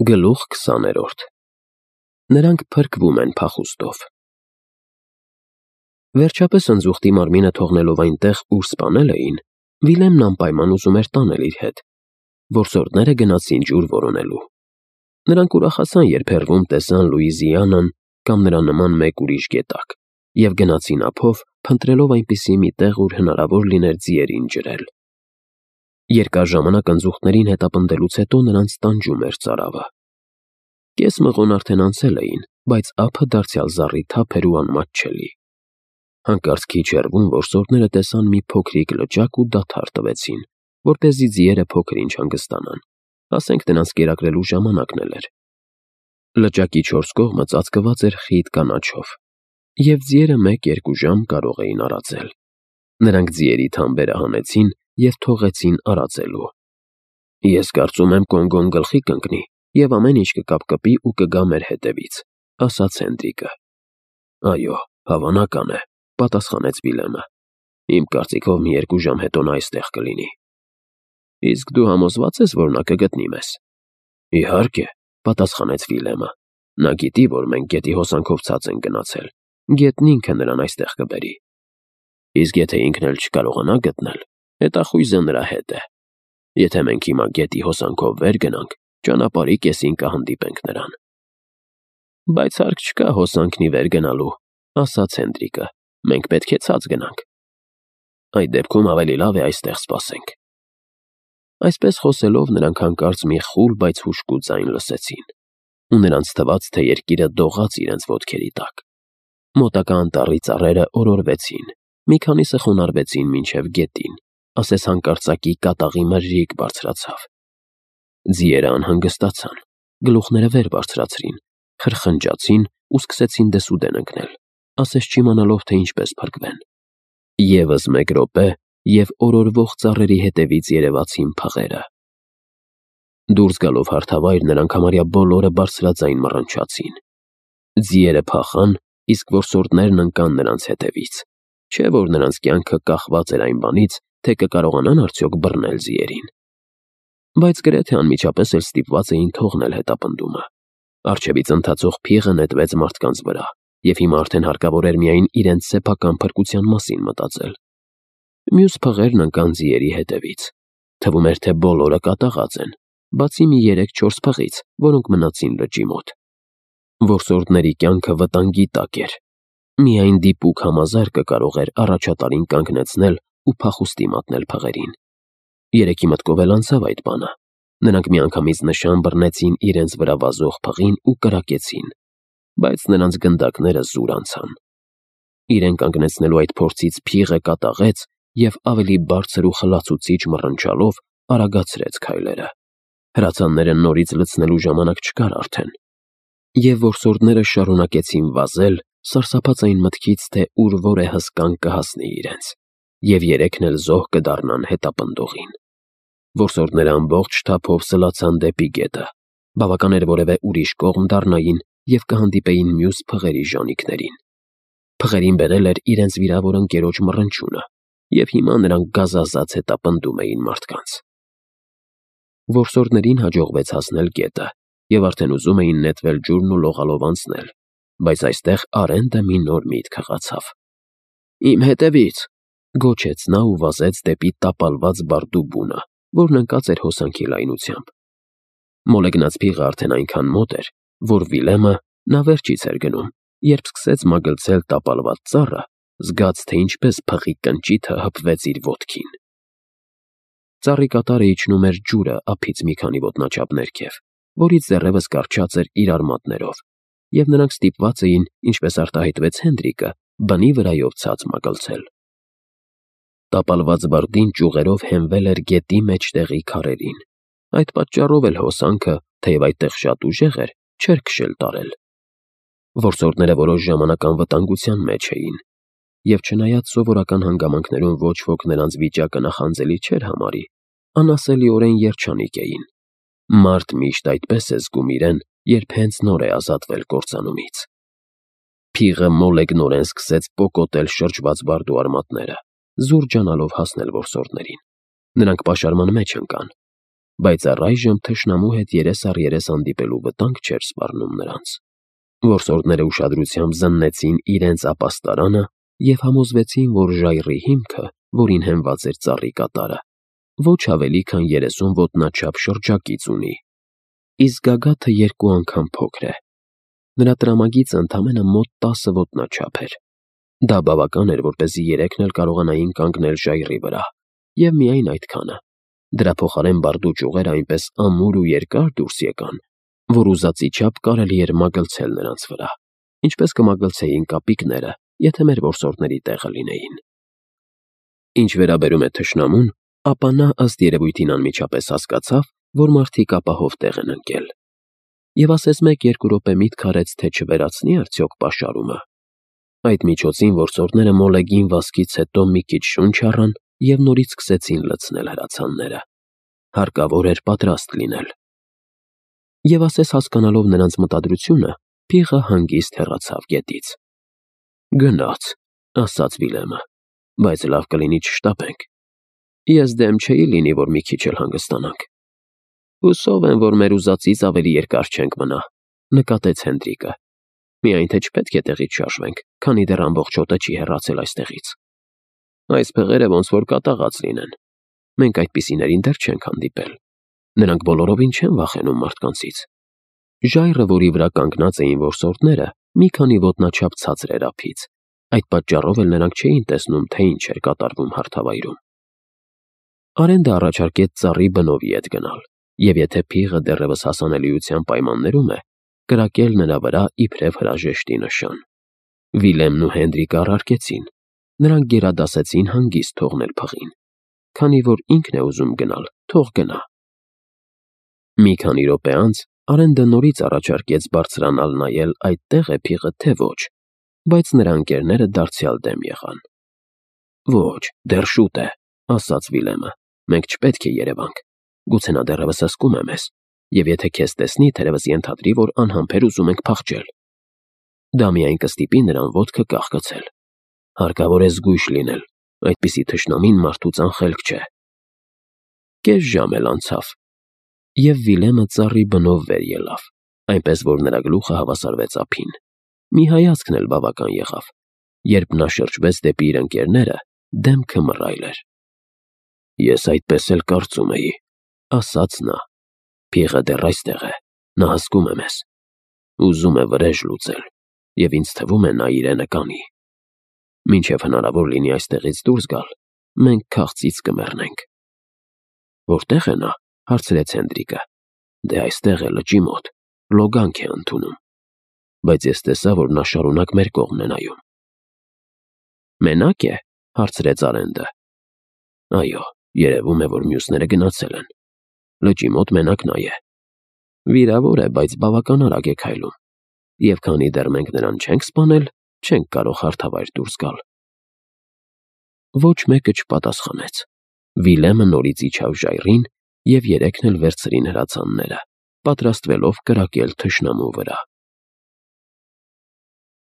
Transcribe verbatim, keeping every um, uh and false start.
Գլուխ քսաներորդ Նրանք փրկվում են փախուստով։ Վերջապես ընձուղտի մարմինը թողնելով այնտեղ, ուր սպանել էին, Վիլեմն անպայման ուզում էր տանել իր հետ։ Որսորդները գնացին ջուր որոնելու։ Նրանք ուրախացան, երբ հեռվում տեսան Լուիզիանան կամ նրա նման մեկ ուրիշ գետակ, և գնացին ափով, փնտրելով այնպիսի մի տեղ, ուր հնարավոր լիներ ձիերին ջրել։ Երկար ժամանակ ընձուղտներին հետապնդելուց հետո նրանց տանջում էր ծարավը։ Կես մղոն արդեն անցել էին, բայց ափը դարձյալ զառիթափ էր ու անմատչելի։ Հանկարծ քիչ հեռվում որսորդները տեսան մի փոքրիկ լճակ ու դադար տվեցին, որպեսզի ձիերը փոքր-ինչ հանգստանան, ասենք նրանց կերակրելու ժամանակն էլ էր։ Լճակի չորս կողմը ծածկված էր խիտ կանաչով, և ձիերը մեկ֊երկու ժամ կարող էին արածել։ Նրանք ձիերի թամբերը հանեցին և թողեցին արածելու։ «Ես կարծում եմ Կոնգոն գլխի կընկնի և ամեն ինչ կկապկպի ու կգա մեր հետևից», ասաց Հենդրիկը։ «Այո, հավանական է», պատասխանեց Վիլեմը։ «Իմ կարծիքով մի երկու ժամ հետո նա այստեղ կլինի»։ «Իսկ դու համոզվա՞ծ ես, որ նա կգտնի մեզ»։ «Իհարկե», պատասխանեց Վիլեմը։ «Նա գիտի, որ մենք գետի հոսանքով ցած ենք գնացել, գետն ինքը նրան այստեղ կբերի։ Իսկ եթե ինքն էլ չկարողանա գտնել, հետախույզը նրա հետ է։ Եթե մենք հիմա գետի հոսանքով վեր գնանք, ճանապարհի կեսին կհանդիպենք նրան»։ «Բայց հարկ չկա հոսանքն ի վեր գնալու», ասաց Հենդրիկը։ «Մենք պետք է ցած գնանք»։ «Այդ դեպքում ավելի լավ է այստեղ սպասենք»։ Այսպես խոսելով նրանք հանկարծ մի խուլ, բայց հուժկու ձայն լսեցին, ու նրանց թվաց, թե երկիրը դողաց իրենց ոտքերի տակ։ Մոտակա անտառի ծառերը օրորվեցին, մի քանիսը խոնարհվեցին մինչև գետին, ասես հանկարծակի կատաղի մրրիկ բարձրացավ։ Ձիերը անհանգստացան, գլուխները վեր բարձրացրին, խրխնջացին ու սկսեցին դեսուդեն ընկնել, ասես չիմանալով, թե ինչպես փրկվեն։ Եվս մեկ րոպե, և օրորվող ծառերի հետևից երևացին փղերը։ Դուրս գալով հարթավայր, նրանք համարյա բոլորը բարձրաձայն մռնչացին։ Ձիերը փախան, իսկ որսորդներն ընկան նրանց հետևից, չէ՞ որ նրանց կյանքը կախված էր այն բանից, թե կկարողանան արդյոք բռնել ձիերին։ Բայց գրեթե անմիջապես էլ ստիպված էին թողնել հետապնդումը։ Առջևից ընթացող փիղը նետվեց մարդկանց վրա, և հիմա արդեն հարկավոր էր միայն իրենց սեփական փրկության մասին մտածել։ Մյուս փղերն ընկան ձիերի հետևից։ Թվում էր, թե բոլորը կատաղած են, բացի մի երեք-չորս փղից, որոնք մնացին լճի մոտ։ Որսորդների կյանքը վտանգի տակ էր։ Միայն դիպուկ համազարկը կարող էր առաջատարին կանգնեցնել ու փախուստի մատնել փղերին։ Երեքի մտքով էլ անցավ այդ բանը։ Նրանք միանգամից նշան բռնեցին իրենց վրա վազող փղին ու կրակեցին, բայց նրանց գնդակները զուր անցան։ Իրեն կանգնեցնելու այդ փորձից փիղը կատաղեց և ավելի բարձր ու խլացուցիչ մռնչալով արագացրեց քայլերը։ Հրացանները նորից լցնելու ժամանակ չկար արդեն։ Եվ որսորդները շարունակեցին վազել, սարսափած այն մտքից, թե ուր որ է հսկան կհասնի իրենց, և երեքն էլ զոհ կդառնան հետապնդողին։ Որսորդները ամբողջ թափով սլացան դեպի գետը։ Բավական էր որևէ ուրիշ կողմ դառնային և կհանդիպեին մյուս փղերի ժանիքներին։ Փղերին բերել էր իրենց վիրավոր ընկերոջ մռնչյունը, և հիմա նրանք գազազած հետապնդում էին մարդկանց։ Որսորդներին հաջողվեց հասնել գետը, և արդեն ուզում էին նետվել ջուրն ու լողալով անցնել, բայց այստեղ Արենդը մի նոր միտք հղացավ։ «Իմ հետևից», գոչեց նա ու վազեց դեպի տապալված բարդու բունը, որն ընկած էր հոսանքի լայնությամբ։ Մոլեգնած փիղը արդեն այնքան մոտ էր, որ Վիլեմը, նա վերջից էր գնում, երբ սկսեց մագլցել տապալված ծառը, զգաց, թե ինչպես փղի կնճիթը հպվեց իր ոտքին։ Ծառի կատարը իջնում էր ջուրը ափից մի քանի ոտնաչափ ներքև, որից դեռևս կառչած էր իր արմատներով, և նրանք ստիպված էին, ինչպես արտահայտվեց Հենդրիկը, բնի վրայով ցած մագլցել։ Տապալված բարդին ճյուղերով հենվել էր գետի մեջտեղի քարերին։ Այդ պատճառով էլ հոսանքը, թեև այդտեղ շատ ուժեղ էր, չէր քշել տարել։ Որսորդները որոշ ժամանակ անվտանգության մեջ էին, և չնայած սովորական հանգամանքներում ոչ ոք նրանց վիճակը նախանձելի չէր համարի, անասելիորեն երջանիկ էին։ Մարդ միշտ այդպես է զգում իրեն, երբ հենց նոր է ազատվել կործանումից։ Փիղը մոլեգնորեն սկսեց պոկոտել շրջված բարդու արմատները, զուր ջանալով հասնել որսորդներին։ Նրանք պաշարման մեջ ընկան։ բայց առայժմ թշնամու հետ երես առ երես հանդիպելու վտանգ չէր սպառնում նրանց։ Որսորդները ուշադրությամբ զննեցին իրենց ապաստարանը և համոզվեցին, որ ժայռի հիմքը, որին հենված էր ծառի կատարը, ոչ ավելի քան երեսուն ոտնաչափ շրջակից ունի, իսկ գագաթը երկու անգամ փոքր է։ Նրա տրամագիծը ընդամենը մոտ տասը ոտնաչափ էր։ Դա բավական էր, որպեսզի երեքն էլ կարողանային կանգնել ժայռի վրա, և միայն այդքանը։ Դրա փոխարեն բարդու ճյուղերը այնպես ամուր ու երկար դուրս եկան, որ ուզածի չափ կարելի էր մագլցել նրանց վրա, ինչպես կմագլցեին կապիկները, եթե մեր որսորդների տեղը լինեին։ Ինչ վերաբերում է թշնամուն, ապա նա ըստ երևույթին անմիջապես հասկացավ, որ մարդիկ ապահով տեղ են ընկել, և ասես մեկ-երկու րոպե միտք արեց, թե չվերացնի արդյոք պաշարումը։ Այդ միջոցին որսորդները մոլեգին վազքից հետո մի քիչ շունչ առան և նորից սկսեցին լցնել հրացանները։ Հարկավոր էր պատրաստ լինել։ Եվ ասես հասկանալով նրանց մտադրությունը, փիղը հանգիստ հեռացավ գետից։ «Գնաց», ասաց Վիլյամը, «բայց լավ կլինի չշտապենք։ Ես դեմ չէի լինի, որ մի քիչ էլ հանգստանանք»։ «Հուսով եմ, որ մեր ուզածից ավելի երկար չենք մնա», նկատեց Հենդրիկը։ «Միայն թե չպետք է տեղից շարժվենք, քանի դեռ ամբողջ հոտը չի հեռացել այստեղից։ Այս փղերը ոնց որ կատաղած լինեն։ Մենք այդպիսիներին դեռ չենք հանդիպել։ Նրանք բոլորովին չեն վախենում մարդկանցից»։ Ժայռը, որի վրա կանգնած էին որսորդները, մի քանի ոտնաչափ ցածր էր ափից, այդ պատճառով էլ նրանք չէին տեսնում, թե ինչ էր կատարվում հարթավայրում։ Արենդը առաջարկեց ծառի բնովի հետ գնալ, և եթե փիղը դեռևս հասանելիության պայմաններում է, կրակել նրա վրա իբրև հրաժեշտի նշան։ Վիլյամն ու Հենդրիկը առարկեցին։ Նրանք գերադասեցին հանգիստ թողնել փղին, քանի որ ինքն է ուզում գնալ, թող գնա։ Մի քանի րոպե անց Արենդը նորից առաջարկեց բարձրանալ նայել այդտեղ է փիղը, թե ոչ, բայց նրա ընկերները դարձյալ դեմ եղան։ «Ոչ, դեռ շուտ է», ասաց Վիլյամը, «մենք չպետք է երևանք։ Գուցե նա դեռևս հսկում է մեզ, և եթե քեզ տեսնի, թերևս ենթադրի, որ անհամբեր ուզում ենք փախչել։ Դա միայն կստիպի նրան ոտքը կախկցել։ Հարկավոր է զգույշ լինել, այդպիսի թշնամին մարդուց անխելք չէ»։ Կես ժամ էլ անցավ, և Վիլյամը ծառի բնով վեր ելավ, այնպես որ նրա գլուխը հավասարվեց ափին։ Մի հայացքն էլ բավական եղավ։ Երբ նա շրջվեց դեպի իր ընկերները, դեմքը մռայլ էր։ «Ես այդպես էլ կարծում էի», ասաց նա։ «Փիղը դեռ այստեղ է, նա հսկում է մեզ։ Ուզում է վրեժ լուծել, և ինձ թվում է նա իրենը կանի։ Մինչև հնարավոր լինի այստեղից դուրս գալ, մենք քաղցից կմեռնենք»։ «Որտե՞ղ է նա», հարցրեց Հենդրիկը։ «Դե այստեղ է, լճի մոտ, լոգանք է ընդունում։ Բայց ես տեսա, որ նա շարունակ մեր կողմն է նայում»։ «Մենա՞կ է», հարցրեց Արենդը։ «Այո, երևում է, որ մյուսները գնացել են։ Լճի մոտ մենակ նա է։ Վիրավոր է, բայց բավական արագ է քայլում, և քանի դեռ մենք նրան չենք սպանել, չենք կարող հարթավայր դուրս գալ»։ Ոչ մեկը չպատասխանեց։ Վիլյամը նորից իջավ ժայռին, և երեքն էլ վերցրին հրացանները, պատրաստվելով կրակել թշնամու վրա։